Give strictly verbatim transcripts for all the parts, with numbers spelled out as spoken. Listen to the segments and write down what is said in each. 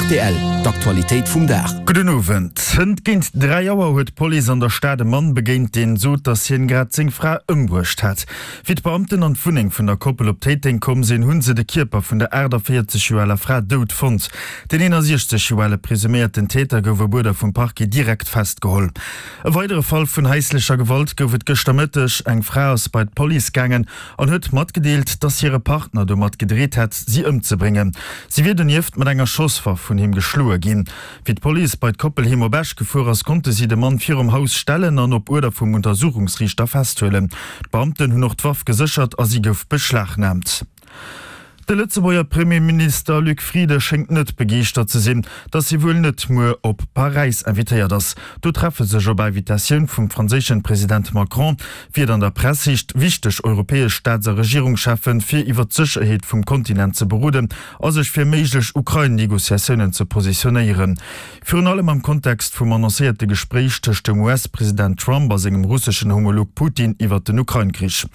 Rtl, D'Aktualitéit vum Dag. Gudden Owend. Hënt géint dräi Auer huet d'Police an der Stad e Mann begéint, deen sot, datt hien grad seng Fra ëmbruecht hätt. Wéi d'Beamten an d'Wunneng vun der Koppel op Téiteng komm sinn, hu se de Kierper vun der aachtavéierzeg Joer aler Fra dout fonnt. Den eenasechzeg Joer ale presuméierten Täter gouf op Uerder vum Parquet direkt festgeholl. E weidere Fall vun haislecher Gewalt gouf et gëschter Mëtteg. Eng Fra ass bei d'Police gaangen an huet matgedeelt, datt hire Partner domat gedreet hätt, si ëmzebréngen. Si wier donieft mat enger Schosswaff vun him geschloe ginn. Wéi d'Police bei d'Koppel heem op Esch gefuer ass, konnte si de Mann virum Haus stellen an op Uerder vum Untersuchungsriichter festhuelen. D'Beamten hunn och d'Waff geséchert a si gouf beschlagnaamt. De Lëtzebuerger Premierminister Luc Frieden schéngt net begeeschtert ze sinn, datt hie wuel net muer op Paräis invitéiert ass. Do treffe sech op Invitatioun vum franséischen President Macron, wéi et an der Press heescht, wichteg europäesch Staats a Regierungscheffen, fir iwwer d'Sécherheet vum Kontinent ze beroden a sech fir méiglech Ukrain-Negociatiounen ze positionéieren. Virun allem am Kontext vum annoncéierte Gespréich tëscht dem U S-President Trump a sengem russeschen Homolog Putin iwwer den Ukrain-Krich.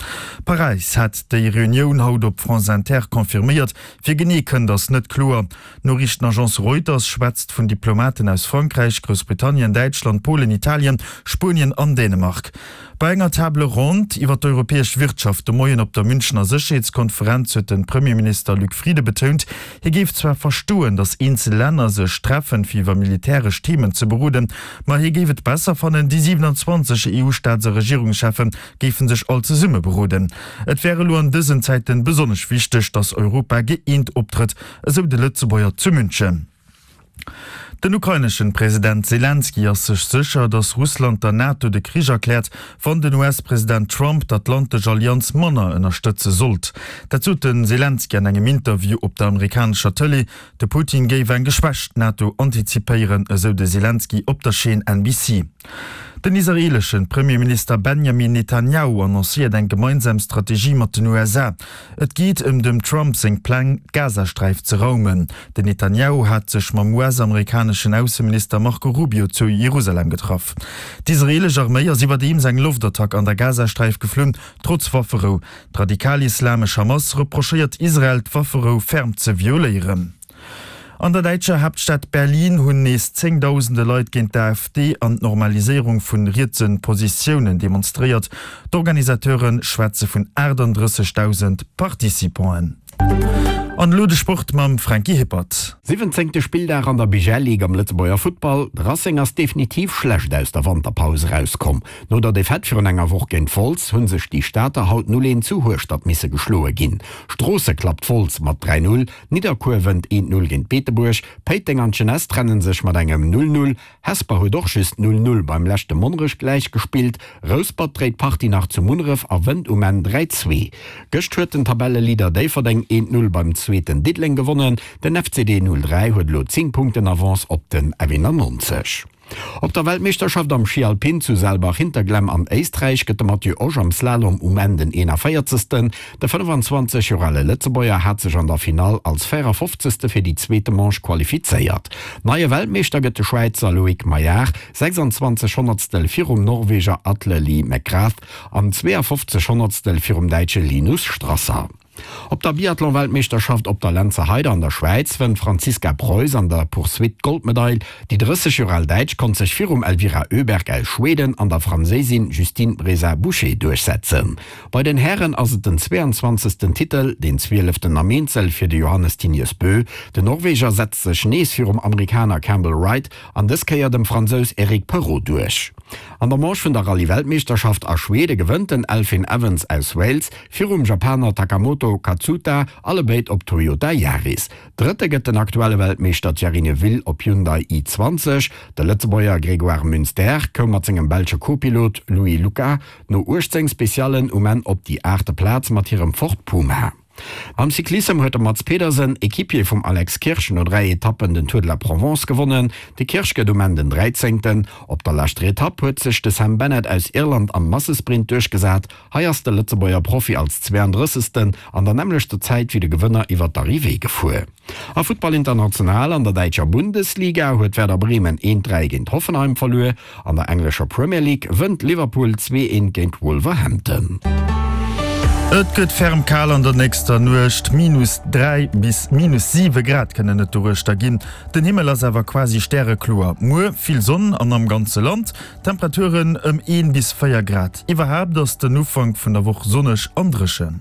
Paräis hat déi Reunioun haut op France Inter confirméiert. Wie genee kënnt, ass net kloer. D'Noriichtenagence Reuters schwätzt vun Diplomaten aus Frankräich, Groussbritannien, Däitschland, Polen, Italien, Spuenien an Dänemark. Bei enger Table ronde iwwer d'europäesch Wirtschaft de Moien op der Münchener Sécherheetskonferenz huet de Premierminister Luc Frieden betount, hie géif zwar verstoen, datt eenzel Länner sech treffen, fir iwwer militäresch Themen ze beroden, ma hie géif et besser fannen, déi siewenanzwanzeg E U-Staats a Regierungscheffe géife sech all zesumme beroden. Et wär elo an dësen Zäiten besonnesch wichteg, datt Europa gëeent optrëtt, esou de Lëtzebuerger zu München. Den ukraineschen President Selenskyj ass sech sécher, datt Russland der NATO de Krich erkläert, wann den U S-President Trump d'Atlantesch Allianz manner ënnerstëtze sollt. Dat sot de Selenskyj an engem Interview op der amerikanescher Tëlee. De Putin géif eng geschwächt NATO antizipéieren, esou de Selenskyj op der Chaîne N B C. Den israeeleschen Premierminister Benjamin Netanjahu annoncéiert eng gemeinsam Strategie mat den U S A. Et geet ëm dem Trump seng Pläng, d'Gazasträif ze raumen. Den Netanjahu hat sech mam U S-amerikaneschen Ausseminister Marco Rubio zu Jerusalem getraff. D'israeelesch Arméi ass iwwerdeems eng Loftattack an der Gazasträif geflunn, trotz Wafferou. D'radikal-islamesch Hamas reprochéiert Israel, d'Wafferou ferm ze violéieren. An der däitscher Haaptstad Berlin hunn nees zéngdausende Leit géint d'A F D an d'Normaliséierung vu rietse Positiounen demonstréiert. D'Organisateure schwätze vun aachtanddrëssegdausend Participanten. An elo de Sport mam Franky Hippert. Siwwenzéngte Spilldag an der B G L Ligue am Lëtzebuerger Futtball. De Racing ass definitiv schlecht aus der Wanterpaus erauskomm. No der Defaite virun enger Woch géint Wolz hunn sech déi Stater haut null eent zu Hueschtert misse geschloe ginn. Stroosse klappt Wolz mat dräi null, Nidderkuer wënnt eent null géint Beetebuerg, Péiteng an d'Jeunesse trennen sech mat engem null null, Hesper huet och just null null beim leschte Monnerech gläich gespillt, Rouspert dréit d'Partie nach zu Munneref a wënnt um Enn dräi zwee. Gëscht huet den Tabelleleader Déifferdeng eent null beim Zweeten Diddeleng gewonnen. Den F C D null dräi huet elo zéng Punkten Avance op den F eenannonzeg. Op der Weltmeeschterschaft am Schi Alpin zu Saalbach-Hinterglemm an Éisträich gëtt de Matthieu Osch am Slalom um Enn den eenanvéierzegsten. De fënnefenzwanzeg Joer ale Lëtzebuerger hat sech an der Finall als véierafofzegste fir déi zweete Manche qualifizéiert. Neie Weltmeeschter gëtt de Schwäizer Loïc Meillard, sechsanzwanzeg Honnertstel virum Norweger Atle Lie McGrath an zweeafofzeg Honnertstel virum Däitsche Linus Strasser. Op der Biathlon-Weltmeeschterschaft op der Lenzerheide an der Schwäiz wënnt d'Franziska Preuß an der Poursuite d'Goldmedail. Déi drësseg Joer al Däitsch konnt sech virum Elvira Öberg aus Schweden an der Franséisin Justine Braisaz-Bouchet duerchsetzen. Bei den Hären ass et den zweeanzwanzegsten Titel, den zwieleften am Eenzel fir de Johannes Thingnes Bö. Den Norweger setzt sech nees virum Amerikaner Campbell Wright an dës Kéier dem Fransous Eric Perrot duerch. An der Manche vun der Rallye-Weltmeeschterschaft a Schwede gewënnt den Elfyn Evans aus Wales virum Japaner Takamoto Katsuta, allebéid op Toyota Yaris. Drëtte gëtt den aktuelle Weltmeeschter Thierry Neuville op Hyundai i zwanzeg. De Lëtzebuerger Grégoire Munster koum mat sengem belsche Co-Pilot Louis Lucas no uechtzéng Speciallen um Enn op déi aachte Plaz mat hirem Ford Puma. Am Cyclissem huet de Mads Pedersen, Equipier vum Alex Kirsch, no dräi Etappen den Tour de la Provence gewonnen. De Kirsch gëtt um Enn den dräizéngten. Op der leschter Etapp huet sech de Sam Bennett aus Irland am Massesprint duerchgesat. Hei ass de Lëtzebuerger Profi als zweeandrëssegsten an der nämmlechter Zäit wéi de Gewënner iwwer d'Arrivée gefuer. A Futtball international: An der däitscher Bundesliga huet Werder Bremen eent dräi géint Hoffenheim verluer. An der englescher Premier League wënnt Liverpool zwee eent géint Wolverhampton. Et gëtt ferm kal an der nächster Nuecht, Minus dräi bis minus siwe Grad kënnen et doruechter ginn. Den Himmel ass awer quasi stärekloer. Muer vill Sonn an am ganze Land, Temperaturen ëm een bis véier Grad. Iwwerhaapt ass den Ufank vun der Woch sonneg an dréchen.